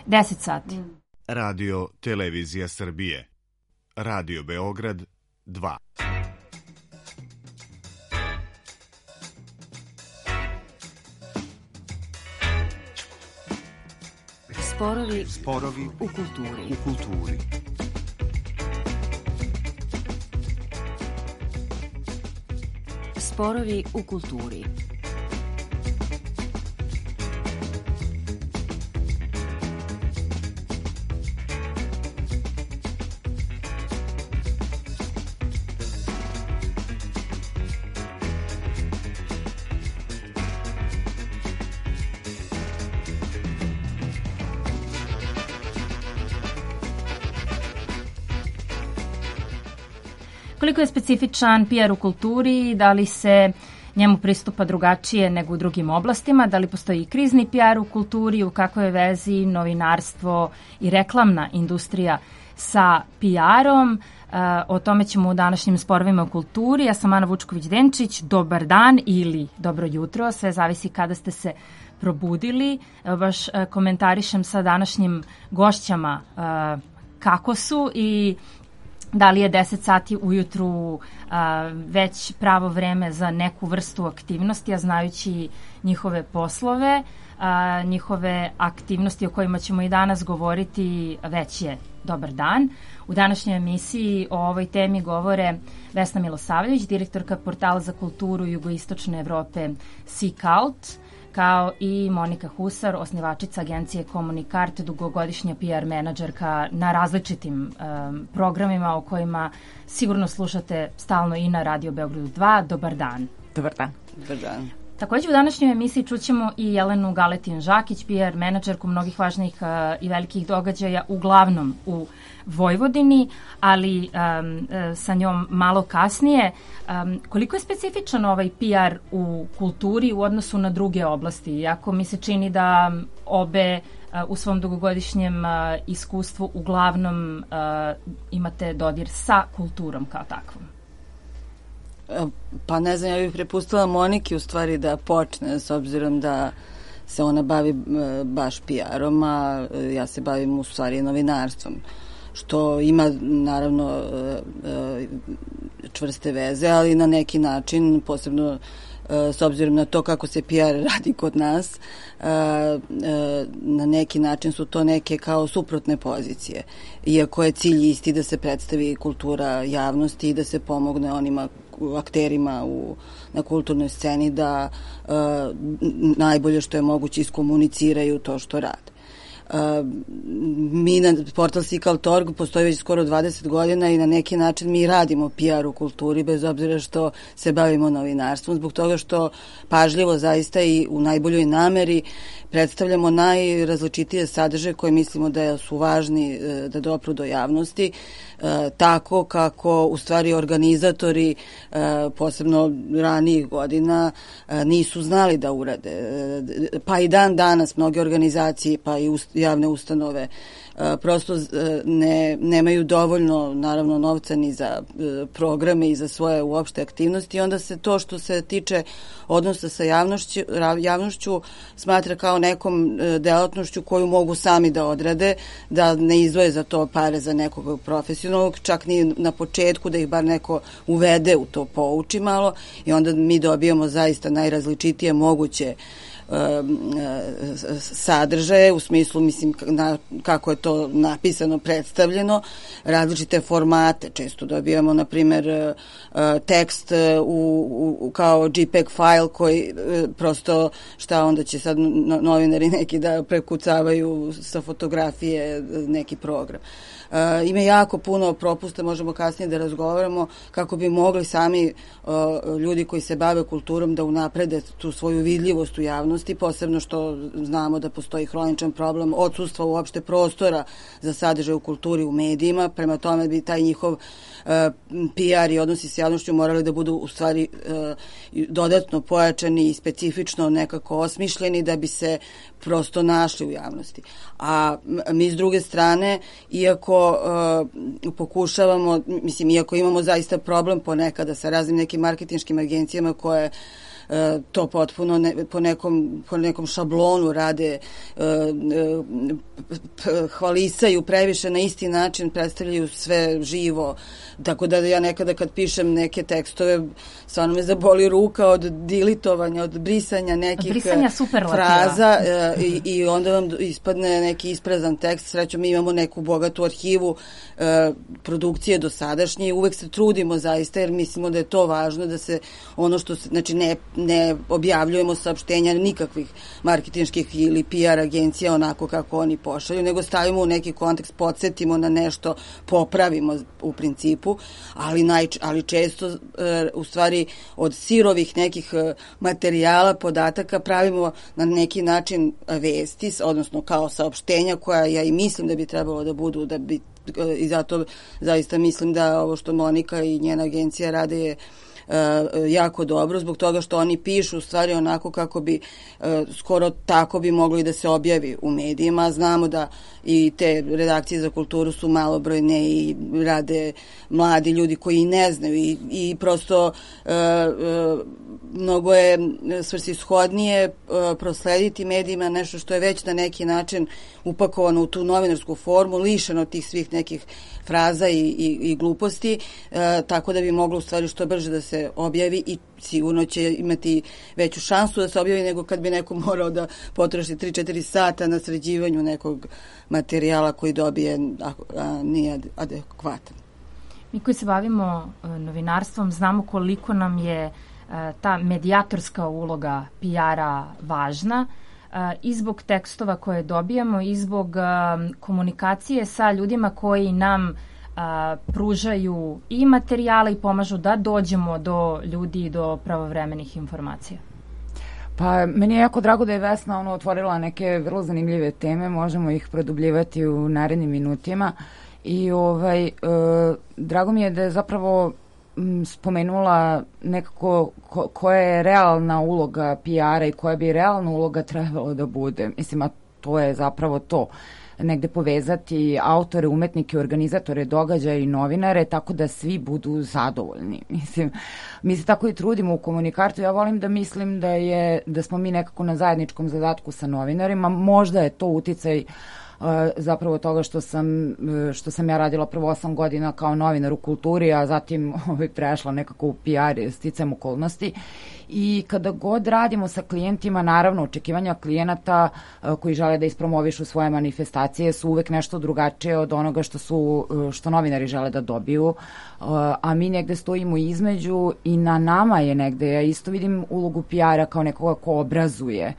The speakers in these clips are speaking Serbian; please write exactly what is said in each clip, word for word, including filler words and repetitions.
deset sati. Radio Televizija Srbije. Radio Beograd dva. Sporovi, Sporovi u kulturi. U kulturi. Sporovi u kulturi. Koliko je specifičan P R u kulturi, da li se njemu pristupa drugačije nego u drugim oblastima, da li postoji i krizni P R u kulturi, u kakvoj je vezi novinarstvo i reklamna industrija sa P R-om. O tome ćemo u današnjim sporovima u kulturi. Ja sam Ana Vučković-Denčić. Dobar dan ili dobro jutro, sve zavisi kada ste se probudili. Evo baš komentarišem sa današnjim gošćama kako su i da li je deset sati ujutru a, već pravo vreme za neku vrstu aktivnosti, a znajući njihove poslove, a, njihove aktivnosti o kojima ćemo i danas govoriti, već je dobar dan. U današnjoj emisiji o ovoj temi govore Vesna Milosavljević, direktorka portala za kulturu Jugoistočne Evrope Seek-Out, kao i Monika Husar, osnivačica agencije Komunikart, dugogodišnja P R menadžerka na različitim um, programima o kojima sigurno slušate stalno i na Radio Beogradu dva. Dobar dan. Dobar dan. Dobar dan. Takođe u današnjoj emisiji čućemo i Jelenu Galetin-Žakić, P R menadžerku mnogih važnih uh, i velikih događaja, uglavnom u Vojvodini, ali um, uh, sa njom malo kasnije. Um, koliko je specifičan ovaj P R u kulturi u odnosu na druge oblasti? Iako mi se čini da obe uh, u svom dugogodišnjem uh, iskustvu uglavnom uh, imate dodir sa kulturom kao takvom. Pa ne znam, ja bih prepustila Moniki u stvari da počne, s obzirom da se ona bavi baš P R-om, a ja se bavim u stvari novinarstvom, što ima naravno čvrste veze, ali na neki način, posebno s obzirom na to kako se P R radi kod nas, na neki način su to neke kao suprotne pozicije. Iako je cilj isti da se predstavi kultura javnosti i da se pomogne onima akterima u, na kulturnoj sceni da uh, najbolje što je moguće iskomuniciraju to što rade. Uh, mi na portal Seek-Out dot org postoji već skoro dvadeset godina i na neki način mi radimo P R u kulturi, bez obzira što se bavimo novinarstvom, zbog toga što pažljivo zaista i u najboljoj nameri predstavljamo najrazličitije sadržaje koje mislimo da su važni da dopru do javnosti, tako kako u stvari organizatori, posebno ranijih godina, nisu znali da urade. Pa i dan danas mnoge organizacije pa i javne ustanove prosto ne, nemaju dovoljno naravno novca ni za programe i za svoje uopšte aktivnosti, i onda se to što se tiče odnosa sa javnošću, javnošću smatra kao nekom delatnošću koju mogu sami da odrade, da ne izdvoje za to pare za nekog profesionalnog, čak ni na početku da ih bar neko uvede u to, pouči malo, i onda mi dobijamo zaista najrazličitije moguće sadržaje, u smislu, mislim, na, kako je to napisano, predstavljeno, različite formate. Često dobijamo, na primjer, tekst u, u, kao JPEG file koji prosto, šta onda će sad novinari neki da prekucavaju sa fotografije neki program. Uh, ima jako puno propusta, možemo kasnije da razgovaramo, kako bi mogli sami uh, ljudi koji se bave kulturom da unaprede tu svoju vidljivost u javnosti, posebno što znamo da postoji hroničan problem odsustva uopšte prostora za sadržaj u kulturi u medijima, prema tome bi taj njihov uh, P R i odnosi s javnošću morali da budu u stvari uh, dodatno pojačani i specifično nekako osmišljeni da bi se prosto našli u javnosti. A mi s druge strane, iako uh, pokušavamo, mislim, iako imamo zaista problem ponekada sa raznim nekim marketinškim agencijama koje to potpuno ne, po, nekom, po nekom šablonu rade, hvalisaju previše na isti način, predstavljaju sve živo, tako da ja nekada kad pišem neke tekstove stvarno me zaboli ruka od dilitovanja, od brisanja nekih brisanja fraza i, i onda vam ispadne neki isprazan tekst. Srećom, mi imamo neku bogatu arhivu produkcije dosadašnje i uvek se trudimo zaista jer mislimo da je to važno, da se ono što se, znači ne, ne objavljujemo saopštenja nikakvih marketinških ili P R agencija onako kako oni pošalju, nego stavimo u neki kontekst, podsjetimo na nešto, popravimo u principu, ali, naj, ali često e, u stvari od sirovih nekih materijala, podataka pravimo na neki način vesti, odnosno kao saopštenja koja ja i mislim da bi trebalo da budu, da bi i zato zaista mislim da ovo što Monika i njena agencija rade je Uh, jako dobro, zbog toga što oni pišu u stvari onako kako bi uh, skoro tako bi moglo i da se objavi u medijima. Znamo da i te redakcije za kulturu su malobrojne i rade mladi ljudi koji ne znaju i, i prosto uh, uh, mnogo je svrsishodnije uh, proslediti medijima nešto što je već na neki način upakovano u tu novinarsku formu, lišeno tih svih nekih fraza i, i, i gluposti, uh, tako da bi moglo u stvari što brže da se objavi i sigurno će imati veću šansu da se objavi nego kad bi neko morao da potroši tri četiri sata na sređivanju nekog materijala koji dobije, a, a nije adekvatan. Mi koji se bavimo novinarstvom znamo koliko nam je ta medijatorska uloga P R-a važna i zbog tekstova koje dobijamo i zbog komunikacije sa ljudima koji nam a, pružaju i materijale i pomažu da dođemo do ljudi i do pravovremenih informacija. Pa meni je jako drago da je Vesna ono otvorila neke vrlo zanimljive teme, možemo ih produbljivati u narednim minutima i ovaj, e, drago mi je da je zapravo m, spomenula nekako ko, koja je realna uloga P R-a i koja bi realna uloga trebalo da bude. Mislim, a to je zapravo to. Negde povezati autore, umetnike, organizatore događaja i novinare tako da svi budu zadovoljni. Mislim, mi se tako i trudimo u Komunikartu. Ja volim da mislim da je da smo mi nekako na zajedničkom zadatku sa novinarima. Možda je to uticaj zapravo toga što sam, što sam ja radila prvo osam godina kao novinar u kulturi, a zatim ovaj, prešla nekako u P R sticajem okolnosti. I kada god radimo sa klijentima, naravno, očekivanja klijenata koji žele da ispromovišu svoje manifestacije su uvek nešto drugačije od onoga što su, što novinari žele da dobiju, a mi negde stojimo između i na nama je negde, ja isto vidim ulogu P R-a kao nekoga ko obrazuje,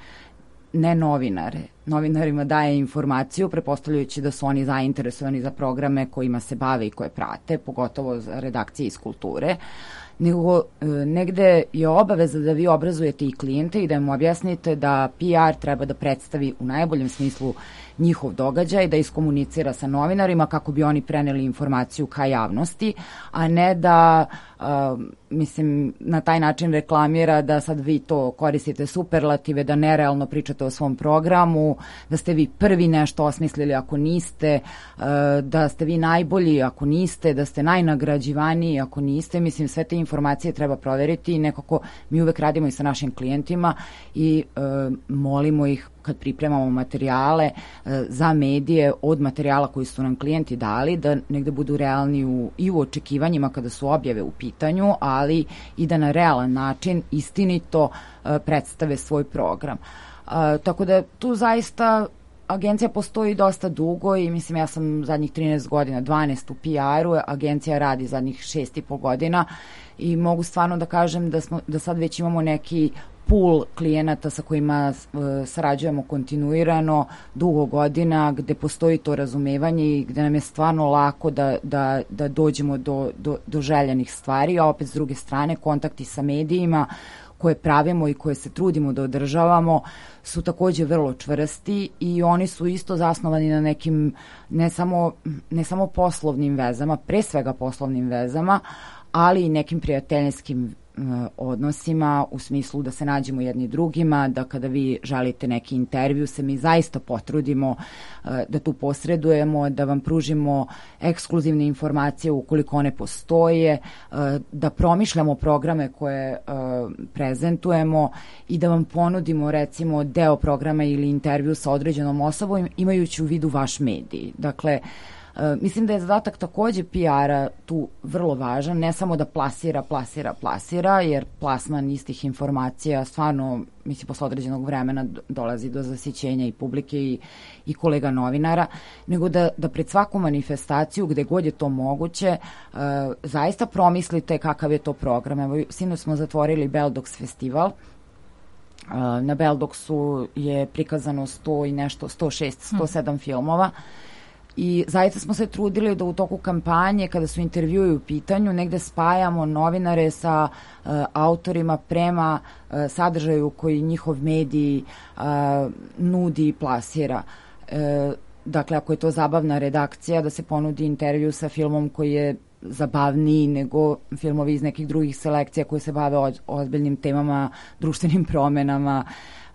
ne novinare. Novinarima daje informaciju, prepostavljajući da su oni zainteresovani za programe kojima se bave i koje prate, pogotovo za redakcije iz kulture, nego e, negde je obaveza da vi obrazujete i klijente i da im objasnite da P R treba da predstavi u najboljem smislu njihov događaj, da iskomunicira sa novinarima kako bi oni preneli informaciju ka javnosti, a ne da uh, mislim, na taj način reklamira da sad vi to koristite superlative, da nerealno pričate o svom programu, da ste vi prvi nešto osmislili ako niste, uh, da ste vi najbolji ako niste, da ste najnagrađivaniji ako niste. Mislim, sve te informacije treba proveriti i nekako mi uvek radimo i sa našim klijentima i uh, molimo ih kad pripremamo materijale e, za medije od materijala koji su nam klijenti dali, da negde budu realni u, i u očekivanjima kada su objave u pitanju, ali i da na realan način istinito e, predstave svoj program. E, tako da tu zaista agencija postoji dosta dugo i mislim ja sam zadnjih trinaest godina, dvanaest u P R-u, agencija radi zadnjih šest i po godina i mogu stvarno da kažem da, smo, da sad već imamo neki pool klijenata sa kojima uh, sarađujemo kontinuirano dugo godina, gde postoji to razumevanje i gde nam je stvarno lako da, da, da dođemo do, do, do željenih stvari, a opet s druge strane kontakti sa medijima koje pravimo i koje se trudimo da održavamo su takođe vrlo čvrsti i oni su isto zasnovani na nekim ne samo, ne samo poslovnim vezama, pre svega poslovnim vezama, ali i nekim prijateljskim odnosima, u smislu da se nađemo jedni drugima, da kada vi želite neki intervju se mi zaista potrudimo da tu posredujemo, da vam pružimo ekskluzivne informacije ukoliko one postoje, da promišljamo programe koje prezentujemo i da vam ponudimo recimo deo programa ili intervju sa određenom osobom imajući u vidu vaš medij. Dakle, mislim da je zadatak takođe P R-a tu vrlo važan, ne samo da plasira, plasira, plasira, jer plasman istih informacija stvarno, mislim, posle određenog vremena dolazi do zasićenja i publike i, i kolega novinara, nego da, da pred svaku manifestaciju, gde god je to moguće, uh, zaista promislite kakav je to program. Evo, sinoć smo zatvorili Beldox festival. Uh, na Beldoksu je prikazano sto i nešto, sto šest, sto sedam hmm. filmova. I zaista smo se trudili da u toku kampanje, kada su intervjui u pitanju, negde spajamo novinare sa uh, autorima prema uh, sadržaju koji njihov medij uh, nudi i plasira. Uh, dakle, ako je to zabavna redakcija, da se ponudi intervju sa filmom koji je zabavniji nego filmovi iz nekih drugih selekcija koji se bave o ozbiljnim temama, društvenim promenama,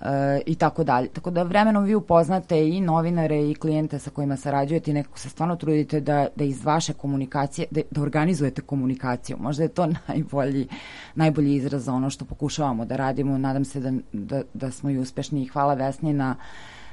E, i tako dalje. Tako da vremenom vi upoznate i novinare i klijente sa kojima sarađujete i nekako se stvarno trudite da, da iz vaše komunikacije, da, da organizujete komunikaciju. Možda je to najbolji, najbolji izraz za ono što pokušavamo da radimo. Nadam se da, da, da smo i uspešni i hvala Vesni na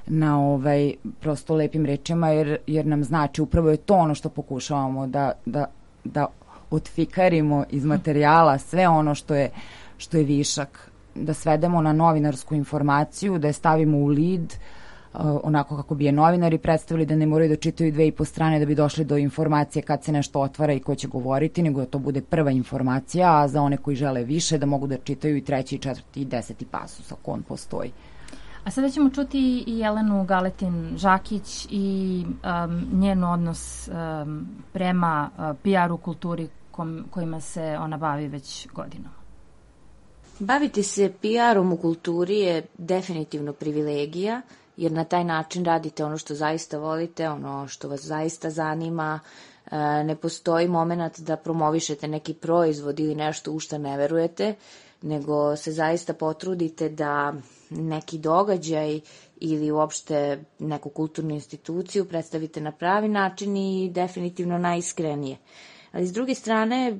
na ovaj prosto lepim rečima jer, jer nam znači upravo je to ono što pokušavamo da, da, da otfikarimo iz materijala sve ono što je, što je višak, da svedemo na novinarsku informaciju, da je stavimo u lead, uh, onako kako bi je novinari predstavili, da ne moraju da čitaju dve i po strane da bi došli do informacije kad se nešto otvara i ko će govoriti, nego da to bude prva informacija, a za one koji žele više da mogu da čitaju i treći, i četvrti, i deseti pasus ako on postoji. A sada ćemo čuti i Jelenu Galetin-Žakić i um, njen odnos um, prema uh, P R-u kulturi kom, kojima se ona bavi već godinama. Baviti se P R-om u kulturi je definitivno privilegija, jer na taj način radite ono što zaista volite, ono što vas zaista zanima. Ne postoji moment da promovišete neki proizvod ili nešto u što ne verujete, nego se zaista potrudite da neki događaj ili uopšte neku kulturnu instituciju predstavite na pravi način i definitivno najiskrenije. Ali s druge strane,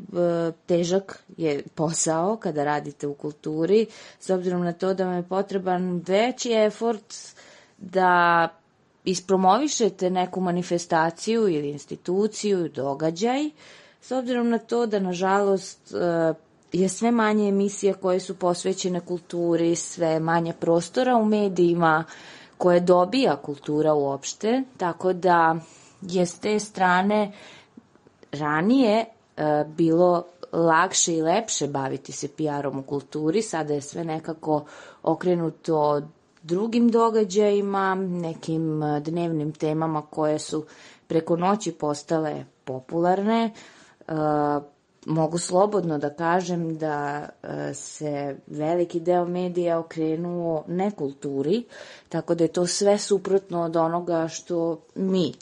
težak je posao kada radite u kulturi, s obzirom na to da vam je potreban veći efort da ispromovišete neku manifestaciju ili instituciju, događaj, s obzirom na to da, nažalost, je sve manje emisija koje su posvećene kulturi, sve manje prostora u medijima koje dobija kultura uopšte, tako da je s te strane ranije e, bilo lakše i lepše baviti se P R-om u kulturi, sada je sve nekako okrenuto drugim događajima, nekim dnevnim temama koje su preko noći postale popularne. E, mogu slobodno da kažem da e, se veliki deo medija okrenuo nekulturi, tako da je to sve suprotno od onoga što mi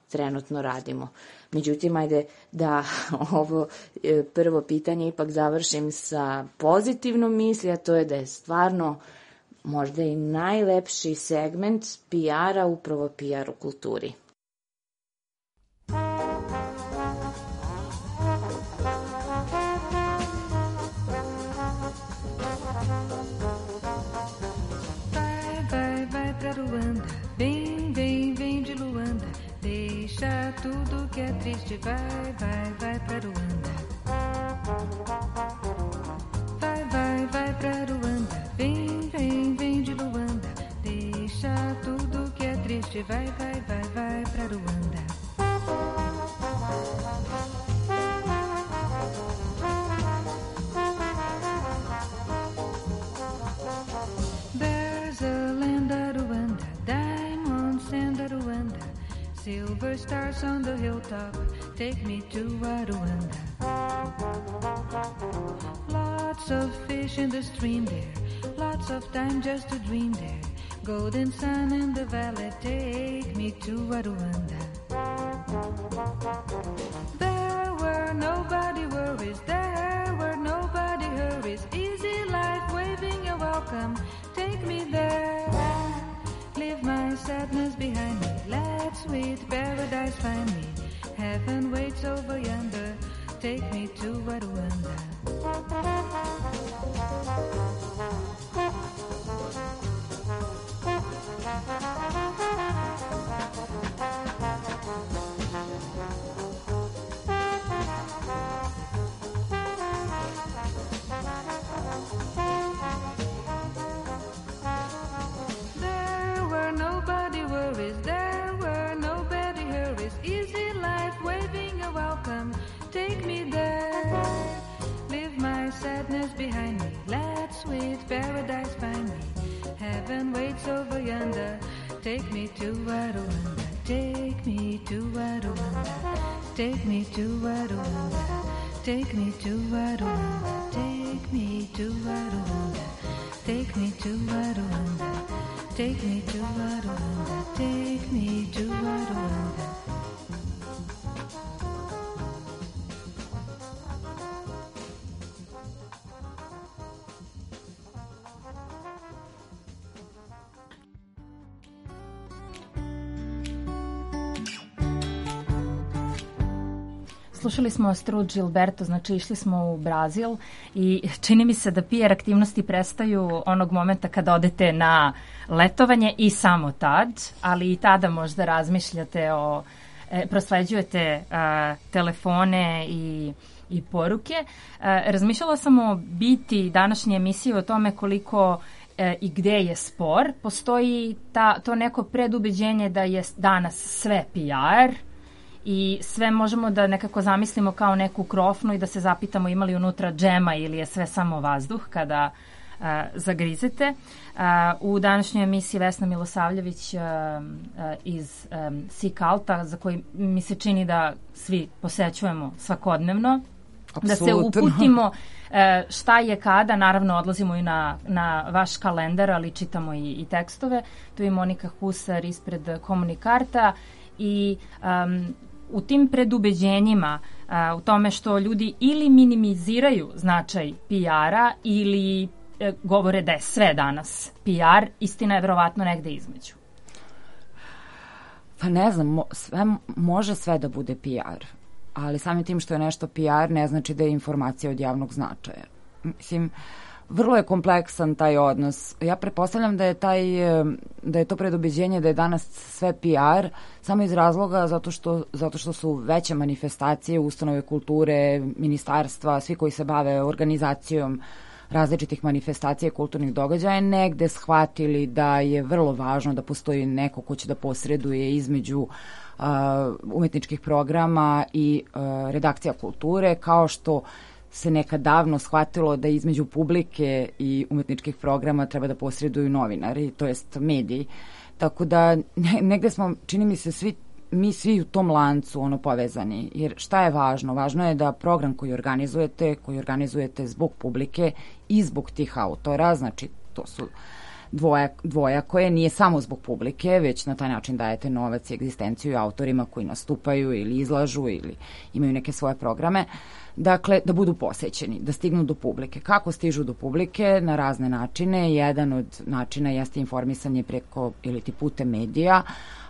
trenutno radimo. Međutim, ajde da ovo prvo pitanje ipak završim sa pozitivnom misli, a to je da je stvarno možda i najlepši segment P R-a upravo P R u kulturi. Deixa tudo que é triste, vai, vai, vai pra Ruanda. Vai, vai, vai pra Ruanda. Vem, vem, vem de Luanda. Deixa tudo que é triste, vai, vai, vai, vai pra Ruanda. There's a land of Ruanda, diamonds and Ruanda. Silver stars on the hilltop, take me to Rwanda. Lots of fish in the stream there, lots of time just to dream there. Golden sun in the valley, take me to Rwanda. There were nobody worries, there were nobody hurries. here is easy life, waving a welcome. Take me there. Leave my sadness behind me. Let sweet paradise find me. Heaven waits over yonder. Take me to Rwanda. There were nobody worries, there were nobody hurries. Easy life, waving a welcome. Take me there. Leave my sadness behind me. Let sweet paradise find me. Heaven waits over yonder. Take me to Rwanda. Take me to Rwanda. Take me to Rwanda. Take me to Rwanda. Take me to Rwanda. Take me to Rwanda. Take me to Rwanda. Take me to Rwanda. Slušali smo Astrud Gilberto, znači išli smo u Brazil i čini mi se da P R aktivnosti prestaju onog momenta kada odete na letovanje i samo tad, ali i tada možda razmišljate o, e, prosleđujete a, telefone i, i poruke. A, razmišljala sam o biti današnje emisije o tome koliko e, i gde je spor. Postoji ta, to neko predubeđenje da je danas sve P R, i sve možemo da nekako zamislimo kao neku krofnu i da se zapitamo ima li unutra džema ili je sve samo vazduh kada uh, zagrizete. Uh, u današnjoj emisiji Vesna Milosavljević uh, uh, iz um, Sikalta, za koji mi se čini da svi posećujemo svakodnevno. Absolutno. Da se uputimo uh, šta je kada, naravno odlazimo i na, na vaš kalendar, ali čitamo i, i tekstove. Tu je Monika Husar ispred Komunikarta i um, u tim predubeđenjima, a, u tome što ljudi ili minimiziraju značaj P R-a ili e, govore da je sve danas P R, istina je verovatno negde između. Pa ne znam, mo, sve, može sve da bude P R, ali samim tim što je nešto P R ne znači da je informacija od javnog značaja. Mislim, vrlo je kompleksan taj odnos. Ja pretpostavljam da je taj, da je to predubeđenje da je danas sve P R samo iz razloga zato što, zato što su veće manifestacije, ustanove kulture, ministarstva, svi koji se bave organizacijom različitih manifestacija i kulturnih događaja negde shvatili da je vrlo važno da postoji neko ko će da posreduje između uh, umetničkih programa i uh, redakcija kulture, kao što se nekad davno shvatilo da između publike i umetničkih programa treba da posreduju novinari, to jest mediji. Tako da ne, negde smo, čini mi se, svi, mi svi u tom lancu ono povezani. Jer šta je važno? Važno je da program koji organizujete, koji organizujete zbog publike i zbog tih autora, znači to su dvoja, dvoja koje nije samo zbog publike, već na taj način dajete novac i egzistenciju autorima koji nastupaju ili izlažu ili imaju neke svoje programe. Dakle, da budu posećeni, da stignu do publike. Kako stižu do publike? Na razne načine. Jedan od načina jeste informisanje preko ili ti putem medija,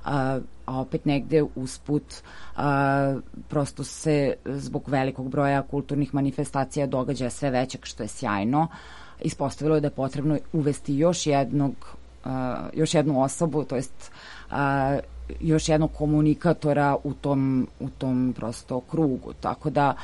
a, a opet negde usput a, prosto se zbog velikog broja kulturnih manifestacija događaja sve većeg, što je sjajno. Ispostavilo je da je potrebno uvesti još jednog, a, još jednu osobu, to jest a, još jednog komunikatora u tom, u tom prosto krugu. Tako da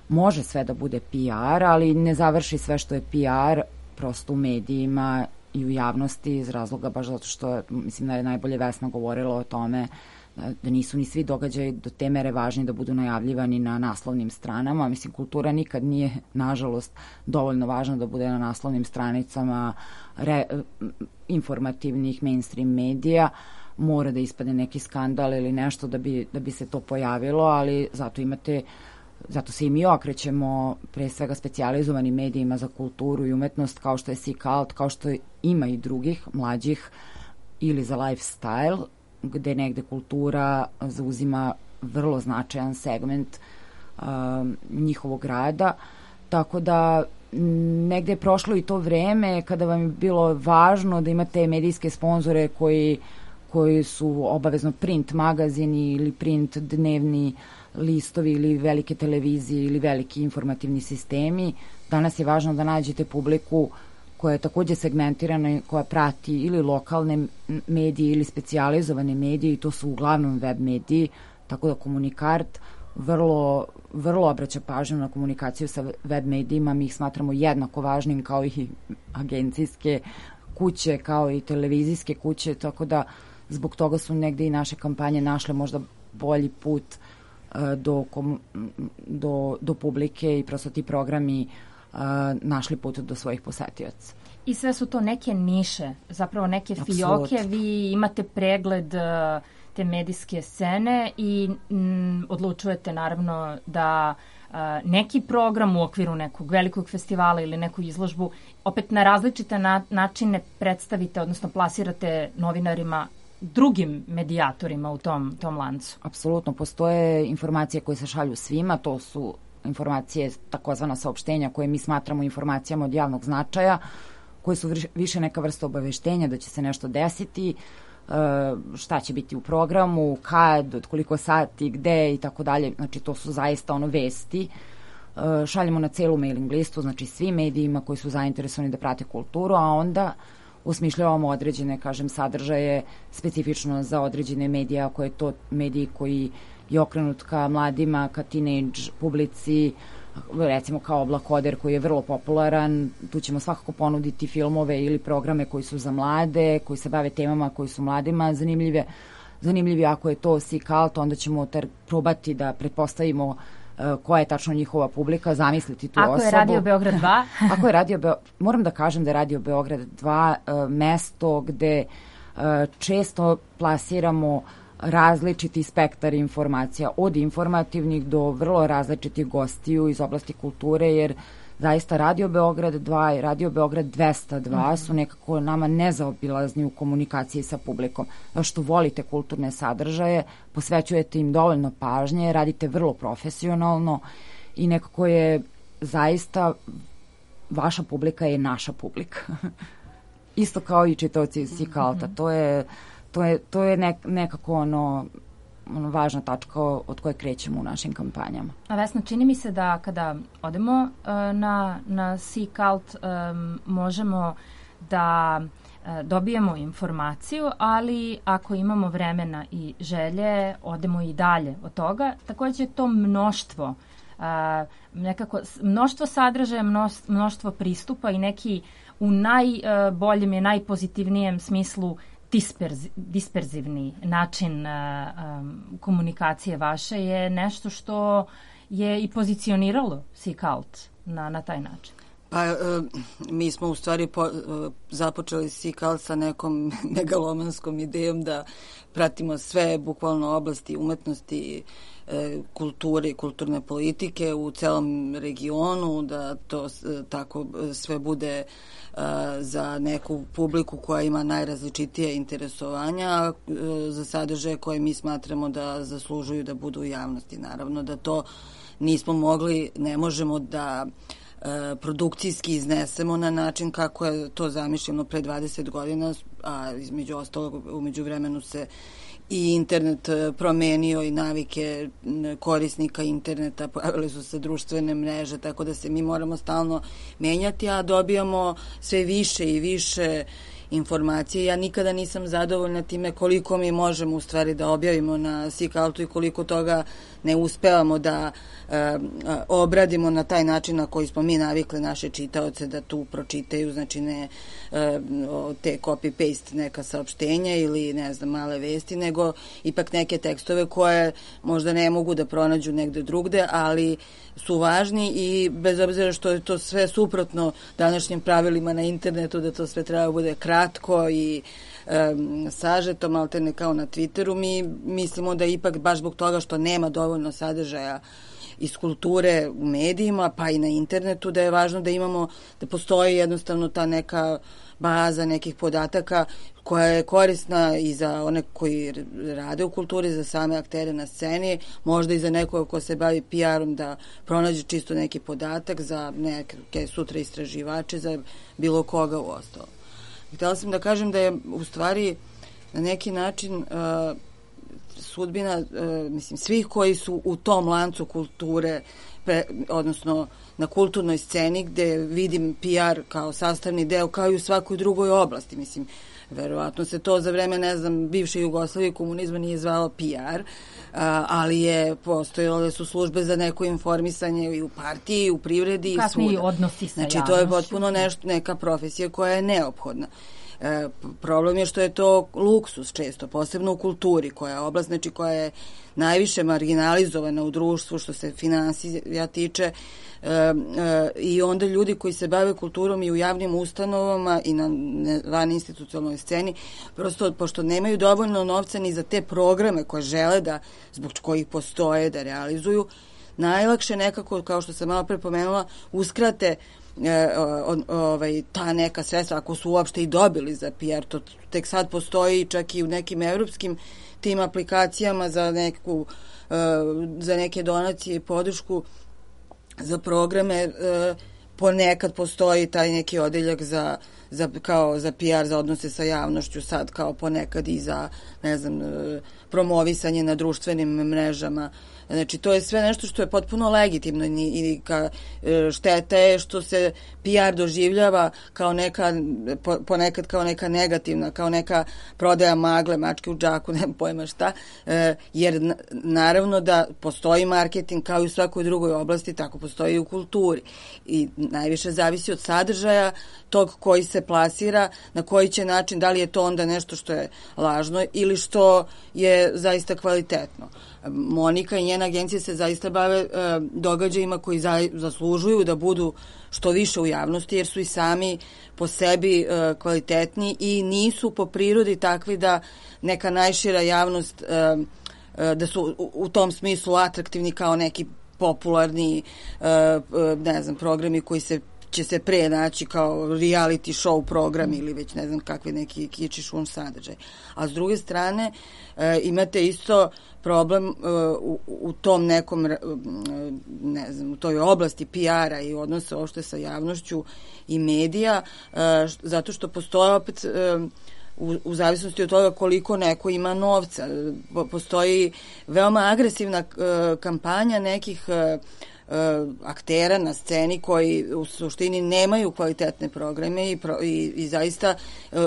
može sve da bude P R, ali ne završi sve što je P R prosto u medijima i u javnosti iz razloga baš zato što, mislim da je najbolje Vesna govorila o tome da, da nisu ni svi događaji do te mere važni da budu najavljivani na naslovnim stranama. Mislim, kultura nikad nije, nažalost, dovoljno važna da bude na naslovnim stranicama re, informativnih mainstream medija. Mora da ispade neki skandal ili nešto da bi, da bi se to pojavilo, ali zato imate Zato se i mi okrećemo pre svega specijalizovanim medijima za kulturu i umetnost kao što je Sikalt, kao što ima i drugih mlađih ili za lifestyle, gde negde kultura zauzima vrlo značajan segment uh, njihovog rada. Tako da negde je prošlo i to vreme kada vam je bilo važno da imate medijske sponzore koji, koji su obavezno print magazini ili print dnevni listovi ili velike televizije ili veliki informativni sistemi. Danas je važno da nađete publiku koja je takođe segmentirana i koja prati ili lokalne medije ili specijalizovane medije i to su uglavnom web mediji, tako da Komunikart vrlo, vrlo obraća pažnju na komunikaciju sa web medijima. Mi ih smatramo jednako važnim kao i agencijske kuće, kao i televizijske kuće, tako da zbog toga su negde i naše kampanje našle možda bolji put uh, do, kom, do, do publike i prosto ti programi uh, našli put do svojih posetioca. I sve su to neke niše, zapravo neke Absolut. fioke, vi imate pregled uh, te medijske scene i m, odlučujete naravno da uh, neki program u okviru nekog velikog festivala ili neku izložbu opet na različite na, načine predstavite, odnosno plasirate novinarima, drugim medijatorima u tom, tom lancu. Apsolutno, postoje informacije koje se šalju svima, to su informacije, takozvana saopštenja koje mi smatramo informacijama od javnog značaja, koje su više neka vrsta obaveštenja da će se nešto desiti, šta će biti u programu, kad, od koliko sati, gde i tako dalje. Znači, to su zaista ono vesti. Šaljemo na celu mailing listu, znači svim medijima koji su zainteresovani da prate kulturu, a onda usmišljavamo određene, kažem, sadržaje specifično za određene medije, ako je to mediji koji je okrenut ka mladima, ka teenage publici, recimo kao Oblakoder koji je vrlo popularan, tu ćemo svakako ponuditi filmove ili programe koji su za mlade, koji se bave temama koji su mladima zanimljive. Zanimljivi ako je to C-Cult, onda ćemo ter probati da pretpostavimo uh, koja je tačno njihova publika, zamisliti tu ako osobu. Ako je Radio Beograd dva? Ako je Radio Beograd, moram da kažem da je Radio Beograd dva uh, mesto gde uh, često plasiramo različiti spektar informacija, od informativnih do vrlo različitih gostiju iz oblasti kulture, jer zaista Radio Beograd dva i Radio Beograd dvesta dva su nekako nama nezaobilazni u komunikaciji sa publikom. Zato što volite kulturne sadržaje, posvećujete im dovoljno pažnje, radite vrlo profesionalno i nekako je zaista vaša publika je naša publika. Isto kao i čitaoci C-Culta. To je To je, to je nek, nekako ono, ono važna tačka od koje krećemo u našim kampanjama. A Vesna, čini mi se da kada odemo uh, na, na C-Cult um, možemo da uh, dobijemo informaciju, ali ako imamo vremena i želje, odemo i dalje od toga. Takođe to mnoštvo, uh, nekako mnoštvo sadržaja, mnoštvo pristupa i neki u najboljem i najpozitivnijem smislu Disperz, disperzivni način uh, um, komunikacije vaše je nešto što je i pozicioniralo C-Cult na, na taj način. Pa uh, mi smo u stvari po, uh, započeli C-Cult sa nekom megalomanskom idejom da pratimo sve bukvalno oblasti umetnosti, uh, kulture i kulturne politike u celom regionu, da to uh, tako sve bude za neku publiku koja ima najrazličitije interesovanja, za sadržaje koje mi smatramo da zaslužuju da budu u javnosti. Naravno da to nismo mogli, ne možemo da produkcijski iznesemo na način kako je to zamišljeno pre dvadeset godina, a između ostalog umeđu vremenu se i internet promenio i navike korisnika interneta, pojavile su se društvene mreže, tako da se mi moramo stalno menjati, a dobijamo sve više i više informacije. Ja nikada nisam zadovoljna time koliko mi možemo u stvari da objavimo na C-Cultu i koliko toga ne uspevamo da e, obradimo na taj način na koji smo mi navikli naše čitaoce da tu pročitaju, znači ne e, te copy-paste neka saopštenja ili ne znam male vesti, nego ipak neke tekstove koje možda ne mogu da pronađu negde drugde, ali su važni i bez obzira što je to sve suprotno današnjim pravilima na internetu, da to sve treba bude kratko i um, sažeto, maltene kao na Twitteru, mi mislimo da ipak baš zbog toga što nema dovoljno sadržaja iz kulture u medijima, pa i na internetu, da je važno da imamo, da postoji jednostavno ta neka baza nekih podataka koja je korisna i za one koji rade u kulturi, za same aktere na sceni, možda i za nekoga ko se bavi P R-om da pronađe čisto neki podatak, za neke sutra istraživače, za bilo koga u ostalo. Htela sam da kažem da je u stvari na neki način uh, sudbina, uh, mislim, svih koji su u tom lancu kulture, pre, odnosno na kulturnoj sceni gde vidim P R kao sastavni deo, kao i u svakoj drugoj oblasti, mislim, verovatno se to za vreme, ne znam, bivše Jugoslavije i komunizma nije zvalo P R, a, ali je postojalo da su službe za neko informisanje i u partiji, i u privredi i svuda. Kasniji odnosi sa znači, javnošću. to je potpuno nešto, neka profesija koja je neophodna. E, problem je što je to luksus često, posebno u kulturi, koja je oblast, znači koja je najviše marginalizovana u društvu što se finansija tiče, e, e, i onda ljudi koji se bave kulturom i u javnim ustanovama i na van institucionalnoj sceni, prosto pošto nemaju dovoljno novca ni za te programe koje žele da, zbog kojih postoje, da realizuju, najlakše nekako, kao što sam malo pre pomenula, uskrate E, o, ovaj, ta neka sredstva, ako su uopšte i dobili za P R, to tek sad postoji čak i u nekim evropskim tim aplikacijama za neku e, za neke donacije i podršku za programe, e, ponekad postoji taj neki odeljak za, za, kao za P R, za odnose sa javnošću, sad kao ponekad i za, ne znam, e, promovisanje na društvenim mrežama. Znači, to je sve nešto što je potpuno legitimno i ka, šteta je što se P R doživljava kao neka, ponekad kao neka negativna, kao neka prodaja magle, mačke u džaku, nema pojma šta, jer naravno da postoji marketing kao i u svakoj drugoj oblasti, tako postoji i u kulturi. I najviše zavisi od sadržaja tog koji se plasira, na koji će način, da li je to onda nešto što je lažno ili što je zaista kvalitetno. Monika i njena agencija se zaista bave e, događajima koji za, zaslužuju da budu što više u javnosti, jer su i sami po sebi e, kvalitetni i nisu po prirodi takvi da neka najšira javnost, e, e, da su u, u tom smislu atraktivni kao neki popularni e, e, ne znam, programi koji se će se pre naći kao reality show program ili već ne znam kakvi neki kiči šum sadržaj. A s druge strane e, imate isto problem e, u, u tom nekom e, ne znam, u toj oblasti P R-a i odnosa uopšte sa javnošću i medija, e, zato što postoje opet e, u, u zavisnosti od toga koliko neko ima novca. Postoji veoma agresivna e, kampanja nekih e, aktera na sceni koji u suštini nemaju kvalitetne programe i, pro, i, i zaista,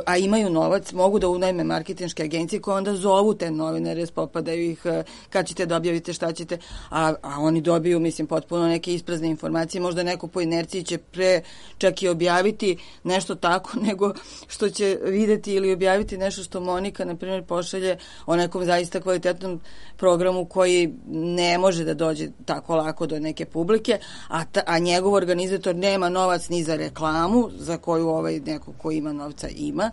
a imaju novac, mogu da unajme marketinške agencije koje onda zovu te novinare, spopadaju ih, kad ćete da objavite, šta ćete, a, a oni dobiju, mislim, potpuno neke isprazne informacije, možda neko po inerciji će pre čak i objaviti nešto tako nego što će videti ili objaviti nešto što Monika, na primjer, pošalje o nekom zaista kvalitetnom programu koji ne može da dođe tako lako do neke publike, a, ta, a njegov organizator nema novac ni za reklamu, za koju ovaj neko ko ima novca ima,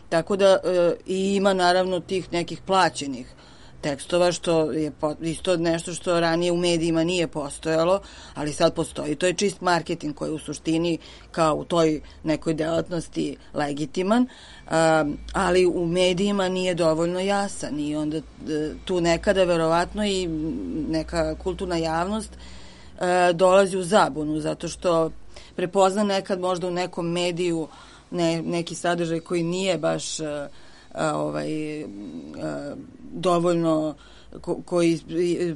tako da e, i ima naravno tih nekih plaćenih tekstova, što je isto nešto što ranije u medijima nije postojalo, ali sad postoji. To je čist marketing koji je u suštini kao u toj nekoj delatnosti legitiman, um, ali u medijima nije dovoljno jasan i onda tu nekada verovatno i neka kulturna javnost uh, dolazi u zabunu, zato što prepozna nekad možda u nekom mediju ne, neki sadržaj koji nije baš uh, A, ovaj, a, dovoljno ko, koji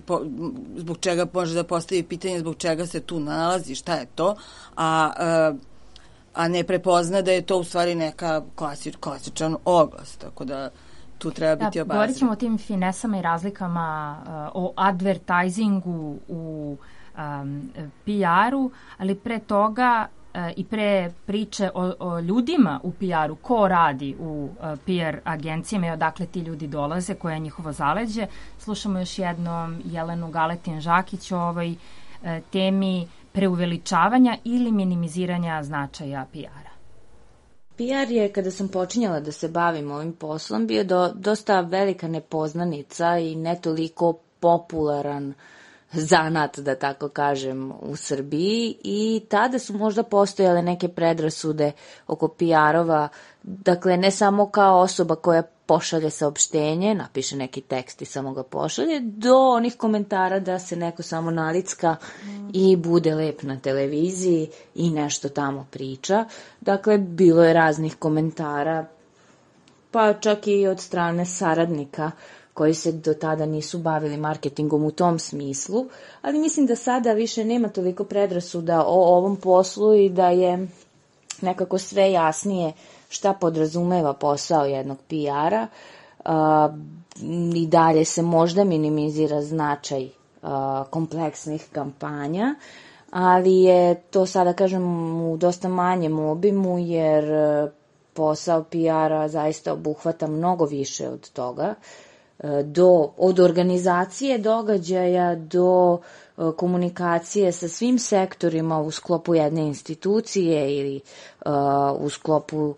po, zbog čega može da postavi pitanje zbog čega se tu nalazi, šta je to, a, a, a ne prepozna da je to u stvari neka klasič, klasičan oglas, tako da tu treba biti da, obazir. Govorit ćemo o tim finesama i razlikama, uh, o advertisingu u um, P R-u, ali pre toga i pre priče o, o ljudima u P R-u, ko radi u uh, P R agencijama i odakle ti ljudi dolaze, koje je njihovo zaleđe. Slušamo još jednom Jelenu Galetin-Žakić o ovoj uh, temi preuveličavanja ili minimiziranja značaja P R-a. P R je, kada sam počinjala da se bavim ovim poslom, bio do, dosta velika nepoznanica i ne toliko popularan zanat, da tako kažem, u Srbiji, i tada su možda postojale neke predrasude oko P R-ova Dakle, ne samo kao osoba koja pošalje saopštenje, napiše neki tekst i samo ga pošalje, do onih komentara da se neko samo nalicka i bude lep na televiziji i nešto tamo priča. Dakle, bilo je raznih komentara, pa čak i od strane saradnika koji se do tada nisu bavili marketingom u tom smislu, ali mislim da sada više nema toliko predrasuda o ovom poslu i da je nekako sve jasnije šta podrazumeva posao jednog P R-a. Uh, i dalje se možda minimizira značaj uh, kompleksnih kampanja, ali je to sada, kažem, u dosta manjem obimu, jer uh, posao P R-a zaista obuhvata mnogo više od toga, uh, do, od organizacije događaja do uh, komunikacije sa svim sektorima u sklopu jedne institucije ili uh, u sklopu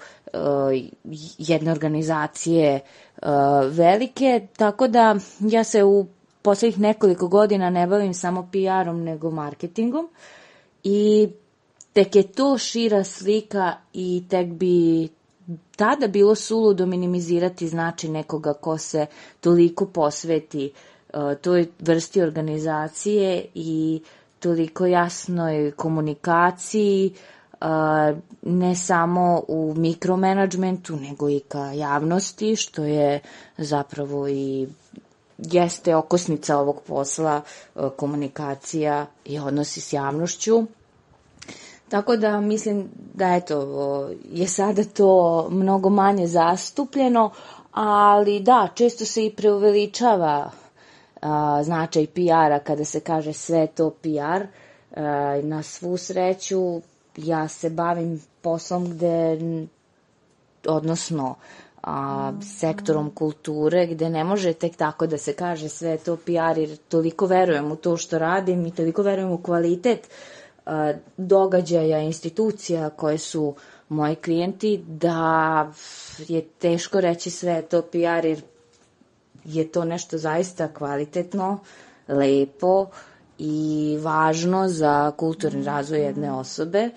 jedne organizacije uh, velike, tako da ja se u poslednjih nekoliko godina ne bavim samo P R-om nego marketingom i tek je to šira slika i tek bi tada bilo suludo minimizirati značaj nekoga ko se toliko posveti uh, toj vrsti organizacije i toliko jasnoj komunikaciji, Uh, ne samo u mikromanagementu, nego i ka javnosti, što je zapravo i jeste okosnica ovog posla, uh, komunikacija i odnosi s javnošću. Tako da mislim da eto, je sada to mnogo manje zastupljeno, ali da, često se i preuveličava uh, značaj P R-a kada se kaže sve to P R. Uh, na svu sreću, ja se bavim poslom gde, odnosno a, sektorom kulture, gde ne može tek tako da se kaže sve to P R, jer toliko verujem u to što radim i toliko verujem u kvalitet a, događaja, institucija koje su moji klijenti, da je teško reći sve to P R, jer je to nešto zaista kvalitetno, lepo i važno za kulturni razvoj jedne osobe,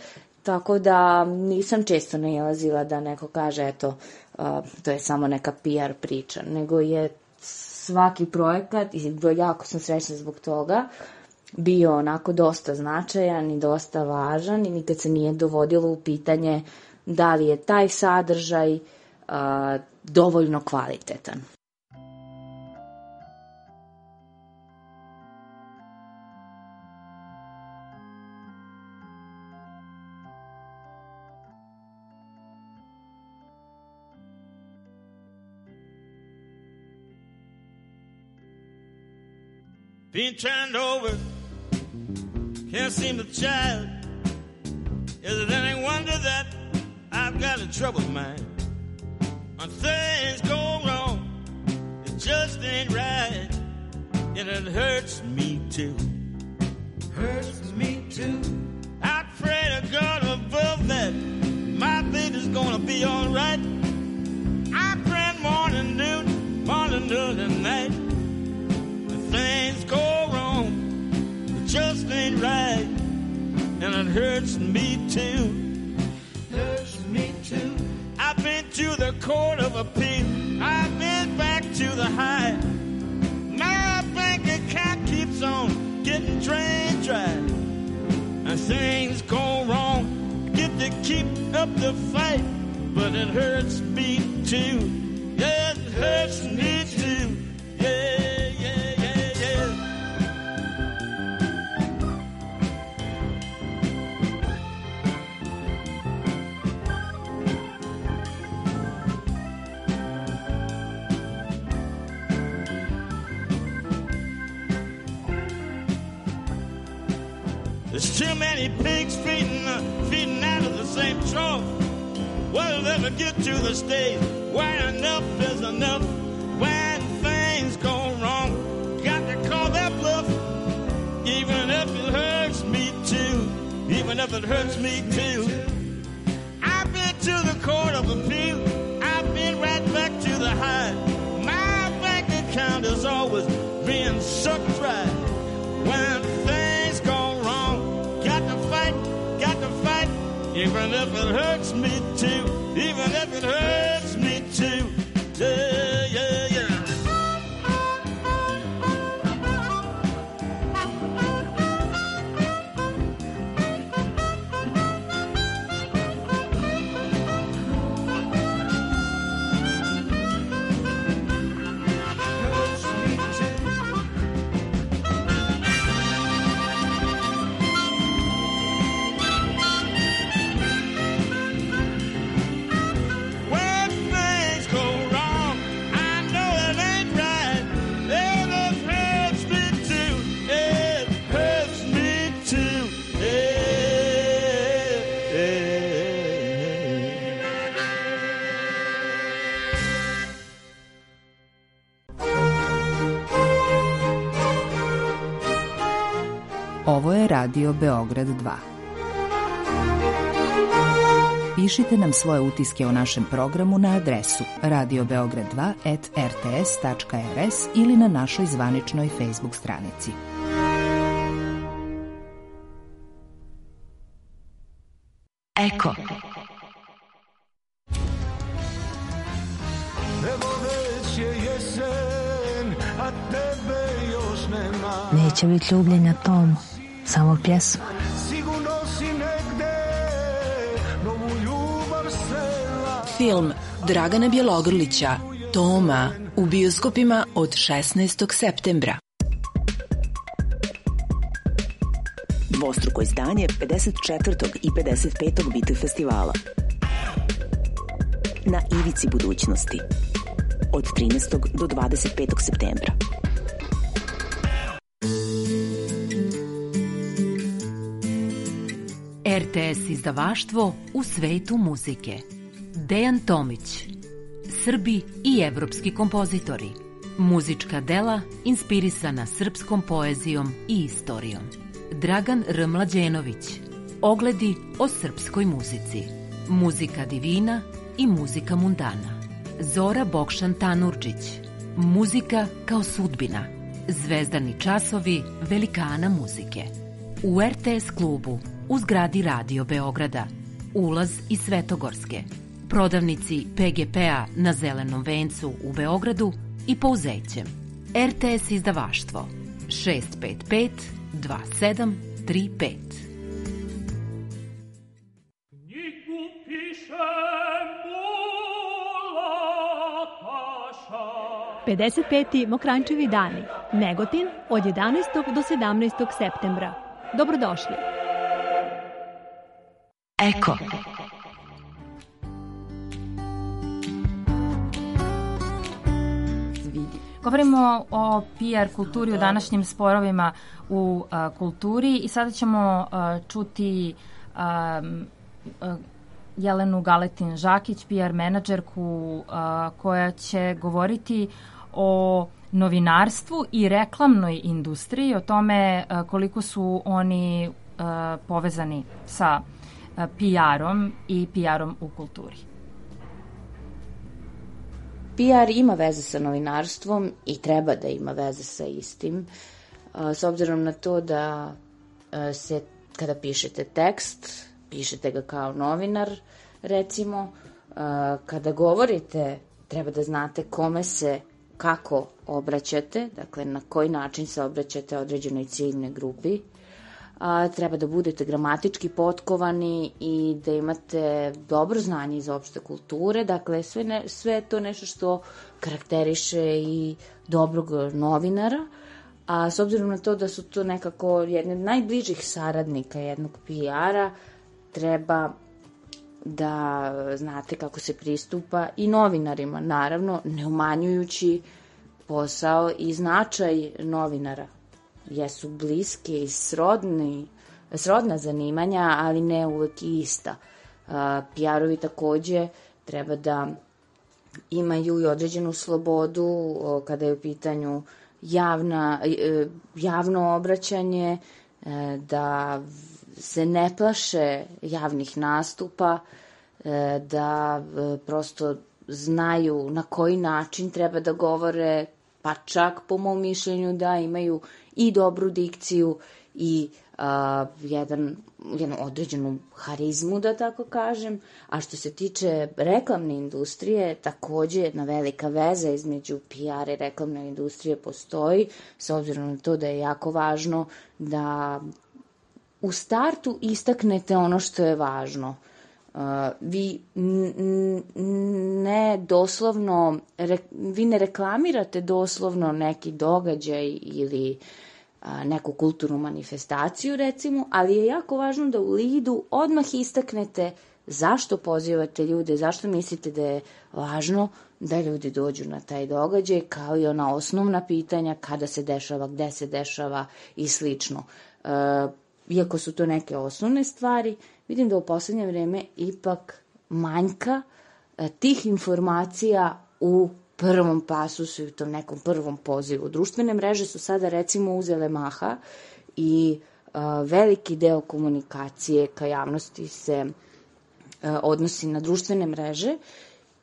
tako da nisam često nailazila da neko kaže eto, uh, to je samo neka P R priča, nego je svaki projekat, i jako sam srećna zbog toga, bio onako dosta značajan i dosta važan i nikad se nije dovodilo u pitanje da li je taj sadržaj uh, dovoljno kvalitetan. Being turned over, can't seem to child. Is it any wonder that I've got a troubled mind? When things go wrong, it just ain't right, and it hurts me too. Hurts me too. I pray to God above that my baby's gonna be all right. I pray morning, noon, morning, noon, and night. Things go wrong, it just ain't right, and it hurts me too. Hurts me too. I've been to the court of appeal, I've been back to the high. My bank account keeps on getting drained dry, and things go wrong. Get to keep up the fight, but it hurts me too. Yeah, it hurts me too. Yeah. There's too many pigs feeding, uh, feeding out of the same trough. Will it ever get to the stage where enough is enough? When things go wrong, got to call that bluff, even if it hurts me too, even if it hurts me too. I've been to the court of appeal, I've been right back to the high. My bank account is always being sucked dry. When things go wrong, got to fight, got to fight, even if it hurts me too, even and if it hurts me too. Yeah, yeah, yeah. Ovo je Radio Beograd dva. Pišite nam svoje utiske o našem programu na adresu radio beograd dva at r t s tačka r s ili na našoj zvaničnoj Facebook stranici. Eko. Evo već je jesen, a tebe još nema. Neće biti ljubljenja, Tom, samo pjesma. Sigurno si negde, novu ljubav srela. Film Dragana Bjelogrlića, Toma, u bioskopima od šesnaestog septembra. Dvostruko izdanje pedeset četvrtog i pedeset petog Biti festivala. Na ivici budućnosti. Od trinaestog do dvadeset petog septembra. R T S izdavaštvo u svetu muzike. Dejan Tomić. Srbi i evropski kompozitori. Muzička dela inspirisana srpskom poezijom i istorijom. Dragan R. Mlađenović. Ogledi o srpskoj muzici. Muzika divina i muzika mundana. Zora Bokšan Tanurđić. Muzika kao sudbina. Zvezdani časovi velikana muzike. U R T S klubu u zgradi Radio Beograda. Ulaz iz Svetogorske. Prodavnici P G P-a na Zelenom vencu u Beogradu i Pouzećem. R T S izdavaštvo šest pet pet dva sedam tri pet. pedeset peti Mokranjčevi dani, Negotin, od jedanaestog do sedamnaestog septembra. Dobrodošli. Eko. Govorimo o P R kulturi, u današnjim sporovima u a, kulturi i sada ćemo a, čuti a, a, Jelenu Galetin-Žakić, P R menadžerku a, koja će govoriti o novinarstvu i reklamnoj industriji, o tome a, koliko su oni a, povezani sa a, P R-om i P R-om u kulturi. P R ima veze sa novinarstvom i treba da ima veze sa istim, s obzirom na to da se, kada pišete tekst, pišete ga kao novinar, recimo, kada govorite, treba da znate kome se, kako obraćate, dakle, na koji način se obraćate određenoj ciljnoj grupi, a, treba da budete gramatički potkovani i da imate dobro znanje iz opšte kulture, dakle sve, ne, sve je to nešto što karakteriše i dobrog novinara, a s obzirom na to da su to nekako jedne od najbližih saradnika jednog P R-a, treba da znate kako se pristupa i novinarima, naravno ne umanjujući posao i značaj novinara. Jesu bliski i srodni, srodna zanimanja, ali ne uvek i ista. P R-ovi takođe treba da imaju i određenu slobodu kada je u pitanju javna, javno obraćanje, da se ne plaše javnih nastupa, da prosto znaju na koji način treba da govore, pa čak po mom mišljenju da imaju i dobru dikciju i uh, jedan, jednu određenu harizmu, da tako kažem, a što se tiče reklamne industrije, takođe jedna velika veza između P R i reklamne industrije postoji, s obzirom na to da je jako važno da u startu istaknete ono što je važno. Uh, vi ne doslovno, re, vi ne reklamirate doslovno neki događaj ili a, neku kulturnu manifestaciju, recimo, ali je jako važno da u lidu odmah istaknete zašto pozivate ljude, zašto mislite da je važno da ljudi dođu na taj događaj, kao i ona osnovna pitanja kada se dešava, gde se dešava i slično. Uh, iako su to neke osnovne stvari, vidim da u poslednje vreme ipak manjka e, tih informacija u prvom pasusu i u tom nekom prvom pozivu. Društvene mreže su sada recimo uzele maha i e, veliki deo komunikacije ka javnosti se e, odnosi na društvene mreže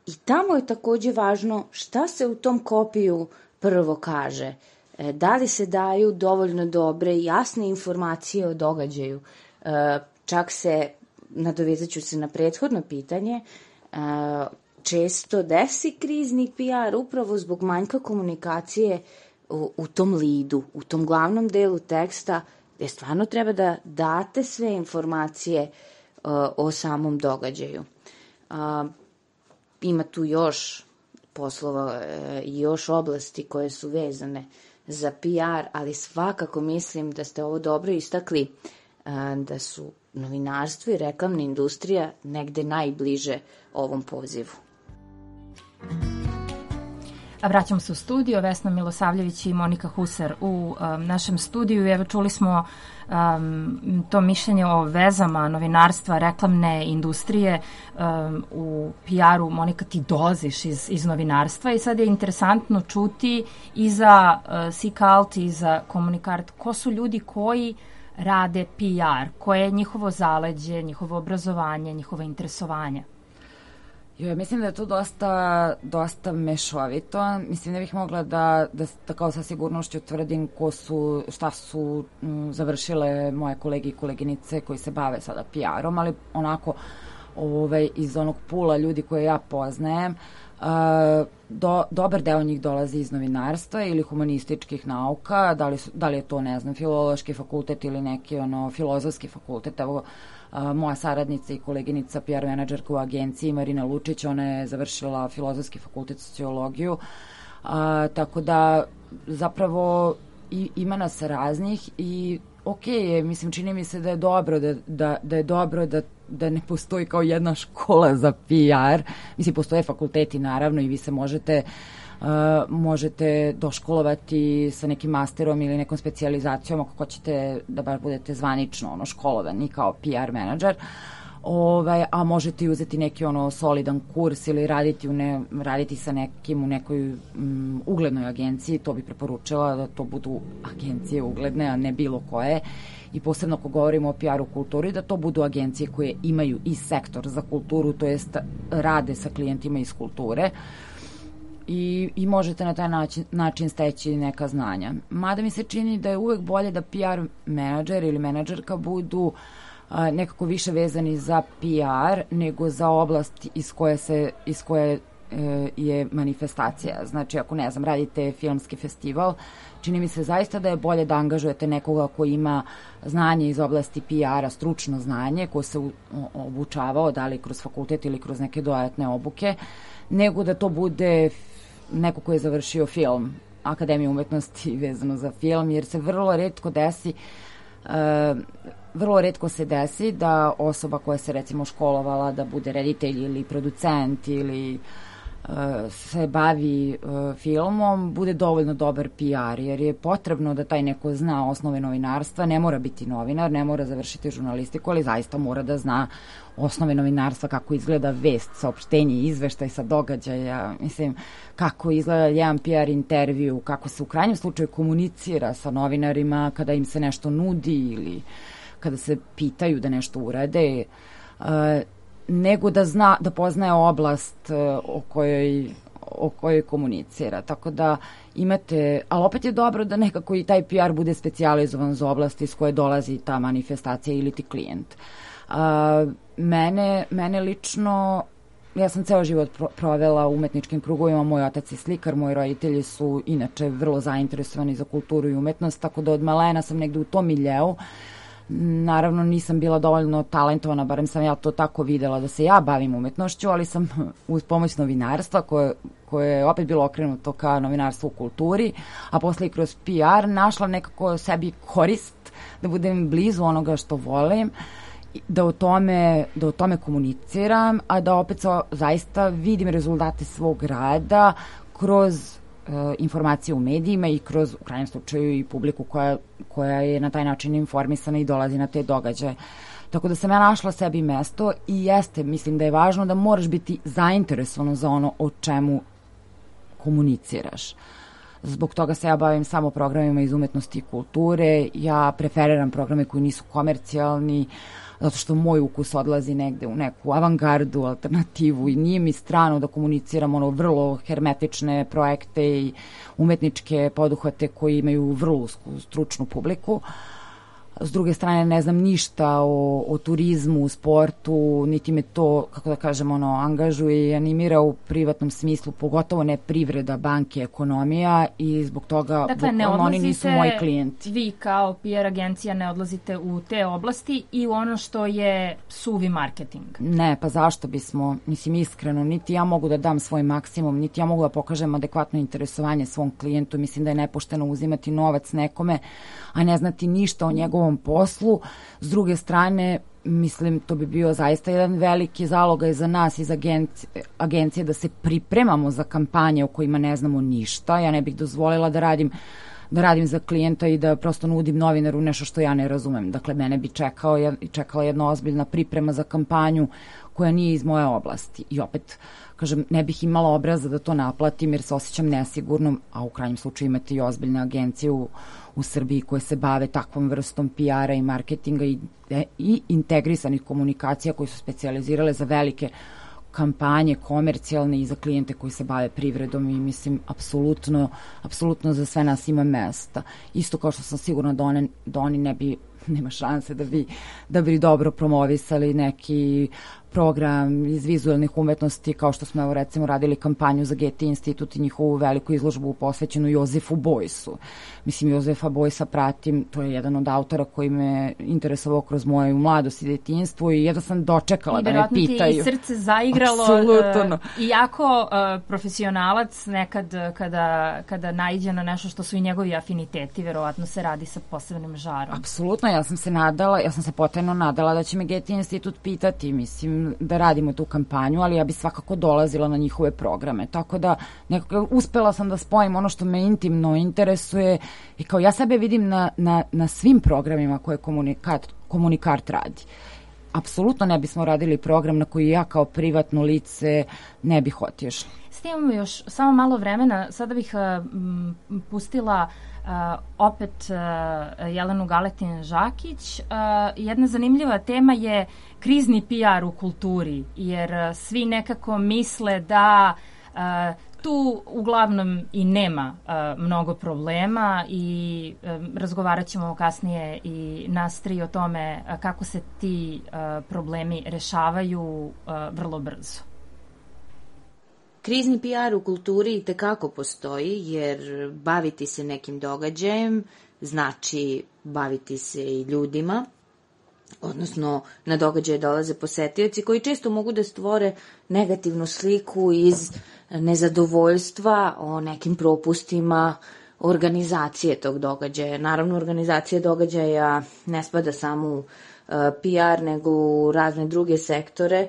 i tamo je takođe važno šta se u tom kopiju prvo kaže. E, da li se daju dovoljno dobre i jasne informacije o događaju. E, čak se, nadovezat ću se na prethodno pitanje, često desi krizni P R upravo zbog manjka komunikacije u, u tom lidu, u tom glavnom delu teksta, gde stvarno treba da date sve informacije o samom događaju. Ima tu još poslova i još oblasti koje su vezane za P R, ali svakako mislim da ste ovo dobro istakli, da su novinarstvo i reklamna industrija negde najbliže ovom pozivu. A vraćamo se u studio, Vesna Milosavljević i Monika Husar u um, našem studiju. Evo, čuli smo um, to mišljenje o vezama novinarstva, reklamne industrije um, u P R-u. Monika, ti dolaziš iz, iz novinarstva i sad je interesantno čuti i za uh, Sikalt i za Komunikart ko su ljudi koji rade P R, koje je njihovo zaleđe, njihovo obrazovanje, njihovo interesovanje? Jo, mislim da je to dosta, dosta mešovito. Mislim da bih mogla da, da, da kao sa sigurnošću tvrdim ko su, šta su m, završile moje kolege i koleginice koji se bave sada P R-om, ali onako ovaj, iz onog pula ljudi koje ja poznajem, Uh, do, dobar deo njih dolazi iz novinarstva ili humanističkih nauka, da li, su, da li je to, ne znam, filološki fakultet ili neki ono, filozofski fakultet. Evo, uh, moja saradnica i koleginica P R menadžerka u agenciji Marina Lučić, ona je završila filozofski fakultet sociologiju, uh, tako da zapravo i, ima nas raznih i ok, mislim, čini mi se da je dobro da, da, da je dobro da da ne postoji kao jedna škola za P R. Mislim, postoje fakulteti naravno i vi se možete uh, možete doškolovati sa nekim masterom ili nekom specijalizacijom ako hoćete da baš budete zvanično ono, školovani kao P R menadžer. Ovaj, a možete i uzeti neki ono solidan kurs ili raditi, u ne, raditi sa nekim u nekoj um, uglednoj agenciji. To bi preporučila da to budu agencije ugledne, a ne bilo koje. I posebno ako govorimo o P R-u kulturi, da to budu agencije koje imaju i sektor za kulturu, to jest rade sa klijentima iz kulture i, i možete na taj način, način steći neka znanja. Mada mi se čini da je uvek bolje da P R menadžer ili menadžerka budu a, nekako više vezani za P R nego za oblast iz koje, se, iz koje e, je manifestacija. Znači, ako ne znam, radite filmski festival, čini mi se zaista da je bolje da angažujete nekoga ko ima znanje iz oblasti P R-a, stručno znanje, ko se obučavao, da li kroz fakultet ili kroz neke dodatne obuke, nego da to bude neko ko je završio film, Akademiju umetnosti vezano za film, jer se vrlo retko desi, uh, vrlo retko se desi da osoba koja se recimo školovala da bude reditelj ili producent ili se bavi uh, filmom, bude dovoljno dobar P R, jer je potrebno da taj neko zna osnove novinarstva, ne mora biti novinar, ne mora završiti žurnalistiku, ali zaista mora da zna osnove novinarstva, kako izgleda vest, saopštenje, izveštaj sa događaja, mislim, kako izgleda jedan P R intervju, kako se u krajnjem slučaju komunicira sa novinarima kada im se nešto nudi ili kada se pitaju da nešto urade, uh, nego da zna, da poznaje oblast uh, o kojoj o kojoj komunicira. Tako da imate, ali opet je dobro da nekako i taj P R bude specijalizovan za oblasti s koje dolazi ta manifestacija ili ti klijent. A, mene, mene lično, ja sam ceo život pro, provela u umetničkim krugovima, moj otac je slikar, moji roditelji su inače vrlo zainteresovani za kulturu i umetnost, tako da od malena sam negde u tom miljeu. Naravno nisam bila dovoljno talentovana, barem sam ja to tako videla da se ja bavim umetnošću, ali sam uz pomoć novinarstva koje, koje je opet bilo okrenuto ka novinarstvu u kulturi, a posle i kroz P R našla nekako sebi korist da budem blizu onoga što volim, da o tome, da o tome komuniciram, a da opet so, zaista vidim rezultate svog rada kroz informacije u medijima i kroz, u krajnjem slučaju, i publiku koja, koja je na taj način informisana i dolazi na te događaje. Tako da sam ja našla sebi mesto i jeste, mislim da je važno da moraš biti zainteresovan za ono o čemu komuniciraš. Zbog toga se ja bavim samo programima iz umetnosti i kulture, ja preferiram programe koji nisu komercijalni, zato što moj ukus odlazi negde u neku avangardu, alternativu i nije mi strano da komuniciram ono vrlo hermetične projekte i umetničke poduhvate koji imaju vrlo usku stručnu publiku. S druge strane, ne znam ništa o, o turizmu, sportu, niti me to, kako da kažem, ono, angažuje i animira u privatnom smislu, pogotovo ne privreda, banke, ekonomija i zbog toga dakle, ne oni nisu moji klijenti. Vi kao P R agencija ne odlazite u te oblasti i u ono što je suvi marketing. Ne, pa zašto bismo, mislim iskreno, niti ja mogu da dam svoj maksimum, niti ja mogu da pokažem adekvatno interesovanje svom klijentu, mislim da je nepošteno uzimati novac nekome, a ne znati ništa o njegovom poslu. S druge strane, mislim, to bi bio zaista jedan veliki zalogaj za nas iz agencije, agencije da se pripremamo za kampanje o kojima ne znamo ništa. Ja ne bih dozvolila da radim da radim za klijenta i da prosto nudim novinaru nešto što ja ne razumem. Dakle, mene bi čekao, čekala jedna ozbiljna priprema za kampanju koja nije iz moje oblasti. I opet, kažem, ne bih imala obraza da to naplatim jer se osjećam nesigurnom, a u krajnjem slučaju imate i ozbiljne agencije u, u Srbiji koje se bave takvom vrstom P R-a i marketinga i, i integrisanih komunikacija koje su specijalizirale za velike kampanje komercijalne i za klijente koji se bave privredom i mislim, apsolutno, apsolutno za sve nas ima mesta. Isto kao što sam sigurna da, one, da oni ne bi, nema šanse da bi, da bi dobro promovisali neki program iz vizualnih umetnosti, kao što smo evo recimo radili kampanju za Getty institut i njihovu veliku izložbu posvećenu Jozefu Bojsu. Mislim, Jozefa Bojsa pratim, to je jedan od autora koji me interesovao kroz moju mladost i detinjstvo i jedno sam dočekala da me pitaju. I srce zaigralo. Apsolutno. Uh, iako uh, profesionalac nekad kada, kada naiđe na nešto što su i njegovi afiniteti, verovatno se radi sa posebnim žarom. Apsolutno, ja sam se nadala, ja sam se potajno nadala da će me Getty institut pitati, mislim, da radimo tu kampanju, ali ja bi svakako dolazila na njihove programe. Tako da nekako uspela sam da spojim ono što me intimno interesuje i kao ja sebe vidim na, na, na svim programima koje komunikat, komunikart radi. Apsolutno ne bismo radili program na koji ja kao privatno lice ne bih otišla. S tim imamo još samo malo vremena. Sada bih uh, m, pustila Uh, opet uh, Jelenu Galetin-Žakić. Uh, jedna zanimljiva tema je krizni P R u kulturi, jer uh, svi nekako misle da uh, tu uglavnom i nema uh, mnogo problema i um, razgovarat ćemo kasnije i nas tri o tome uh, kako se ti uh, problemi rešavaju uh, vrlo brzo. Krizni P R u kulturi itekako postoji, jer baviti se nekim događajem znači baviti se i ljudima, odnosno na događaje dolaze posetioci koji često mogu da stvore negativnu sliku iz nezadovoljstva o nekim propustima organizacije tog događaja. Naravno, organizacija događaja ne spada samo u P R, nego u razne druge sektore,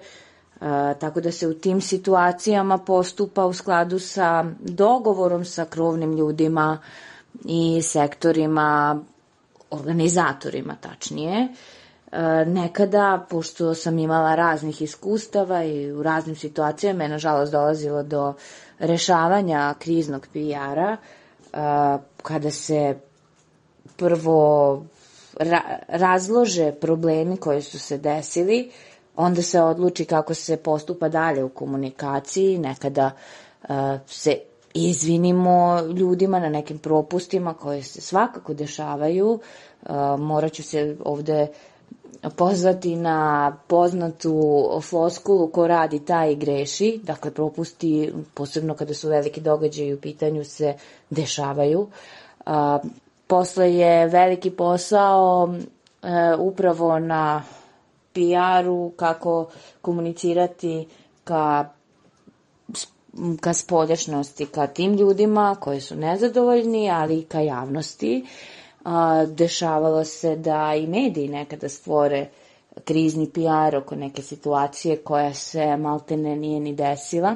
Uh, tako da se u tim situacijama postupa u skladu sa dogovorom sa krovnim ljudima i sektorima, organizatorima tačnije. Uh, nekada, pošto sam imala raznih iskustava i u raznim situacijama je nažalost dolazilo do rešavanja kriznog P R-a, uh, kada se prvo ra- razlože problemi koji su se desili, onda se odluči kako se postupa dalje u komunikaciji, nekada se izvinimo ljudima na nekim propustima koje se svakako dešavaju. Morat ću se ovde pozvati na poznatu floskulu ko radi taj i greši. Dakle, propusti, posebno kada su veliki događaji u pitanju, se dešavaju. Posle je veliki posao upravo na P R-u, kako komunicirati ka ka spoljašnosti, ka tim ljudima koji su nezadovoljni, ali i ka javnosti. Dešavalo se da i mediji nekada stvore krizni P R oko neke situacije koja se maltene nije ni desila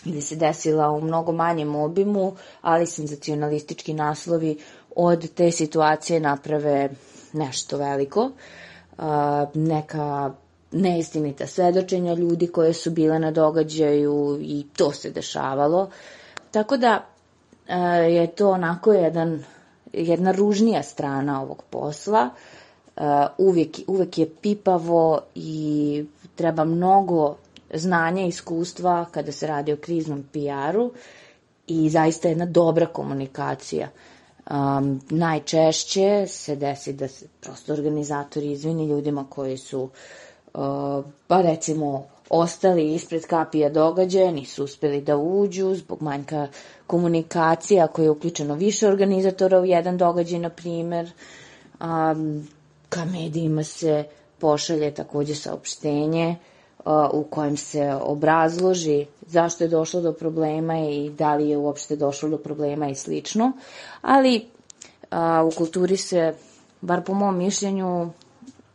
ili se desila u mnogo manjem obimu, ali senzacionalistički naslovi od te situacije naprave nešto veliko. Neka neistinita svedočenja ljudi koje su bile na događaju i to se dešavalo. Tako da je to onako jedan, jedna ružnija strana ovog posla. Uvijek, uvijek je pipavo i treba mnogo znanja i iskustva kada se radi o kriznom P R-u i zaista jedna dobra komunikacija. Um, najčešće se desi da se prosto organizatori izvini ljudima koji su Uh, pa recimo ostali ispred kapija događaja, nisu uspeli da uđu zbog manjka komunikacije, ako je uključeno više organizatora u jedan događaj, na primer. Um, ka medijima se pošalje takođe saopštenje uh, u kojem se obrazloži zašto je došlo do problema i da li je uopšte došlo do problema i slično. Ali uh, u kulturi se, bar po mom mišljenju,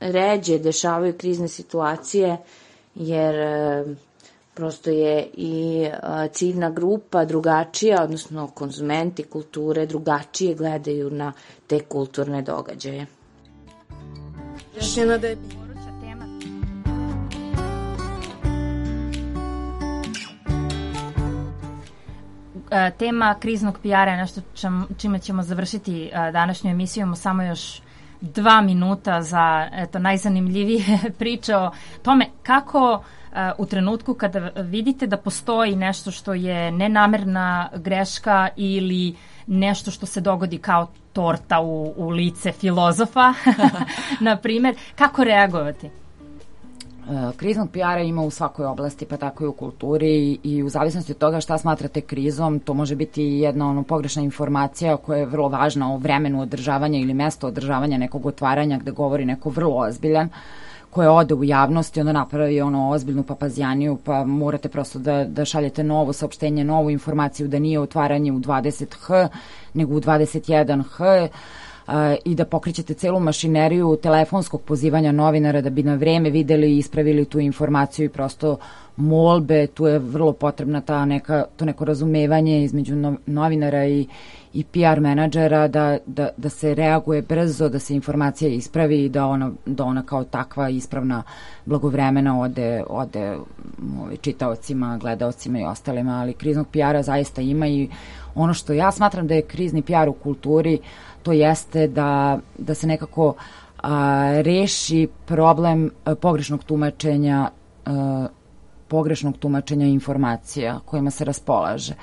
ređe dešavaju krizne situacije, jer e, prosto je i e, ciljna grupa drugačija, odnosno konzumenti kulture drugačije gledaju na te kulturne događaje. Još jedna da je tema kriznog P R-a je nešto čime ćemo završiti današnju emisiju. Imamo samo još dva minuta za eto, najzanimljivije priče o tome kako uh, u trenutku kada vidite da postoji nešto što je nenamerna greška ili nešto što se dogodi kao torta u, u lice filozofa, na primjer, kako reagovati? Kriznog P R-a ima u svakoj oblasti, pa tako i u kulturi, i u zavisnosti od toga šta smatrate krizom, to može biti jedna ono, pogrešna informacija koja je vrlo važna o vremenu održavanja ili mesto održavanja nekog otvaranja gde govori neko vrlo ozbiljan, koja ode u javnost i onda napravi ono ozbiljnu papazjaniju, pa morate prosto da, da šaljete novo saopštenje, novu informaciju da nije otvaranje u dvadeset ha, nego u dvadeset jedan ha, i da pokrećete celu mašineriju telefonskog pozivanja novinara da bi na vreme videli i ispravili tu informaciju i prosto molbe, tu je vrlo potrebna ta neka, to neko razumevanje između no, novinara i, i P R menadžera da, da, da se reaguje brzo, da se informacija ispravi i da ona, da ona kao takva ispravna blagovremena ode, ode ovaj, čitaocima, gledaocima i ostalima, ali kriznog P R-a zaista ima i ono što ja smatram da je krizni P R u kulturi, to jeste da, da se nekako a, reši problem a, pogrešnog tumačenja a, pogrešnog tumačenja informacija kojima se raspolaže.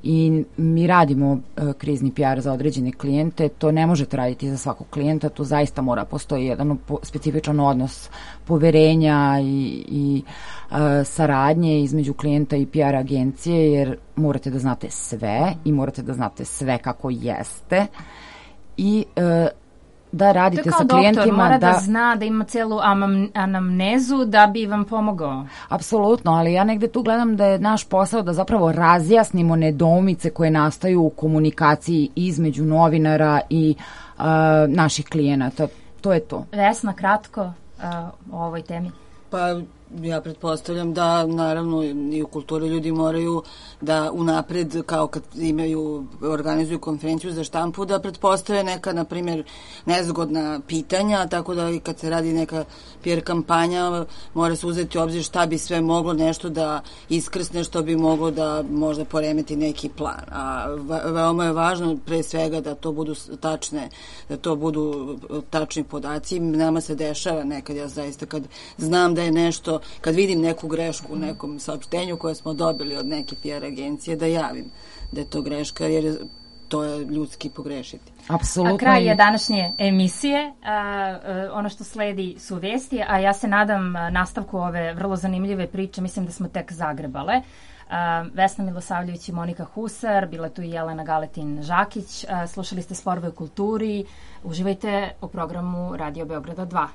I mi radimo a, krizni P R za određene klijente, to ne možete raditi za svakog klijenta, tu zaista mora postoji jedan po, specifičan odnos poverenja i, i a, saradnje između klijenta i P R agencije, jer morate da znate sve i morate da znate sve kako jeste i e, da radite sa klijentima. Doktor, mora da, da zna da ima celu anamnezu da bi vam pomogao. Apsolutno, ali ja negde tu gledam da je naš posao da zapravo razjasnimo nedoumice koje nastaju u komunikaciji između novinara i uh, naših klijenata. To je to. Vesna, kratko uh, o ovoj temi. Pa ja pretpostavljam da naravno i u kulturi ljudi moraju da unapred, kao kad imaju, organizuju konferenciju za štampu, da pretpostave neka, na primjer, nezgodna pitanja, tako da i kad se radi neka P R kampanja, mora se uzeti u obzir šta bi sve moglo nešto da iskrsne, što bi moglo da možda poremeti neki plan. A veoma je važno pre svega da to budu tačne, da to budu tačni podaci. Nama se dešava nekad, ja zaista kad znam da je nešto kad vidim neku grešku u nekom saopštenju koje smo dobili od neke P R agencije, da javim da je to greška, jer to je ljudski pogrešiti. Apsolutno. A kraj je današnje emisije. A, a, ono što sledi su vesti, a ja se nadam nastavku ove vrlo zanimljive priče. Mislim da smo tek zagrebale. A, Vesna Milosavljević i Monika Husar, bila tu i Jelena Galetin-Žakić. A, slušali ste Sporove u kulturi. Uživajte u programu Radio Beograda dva.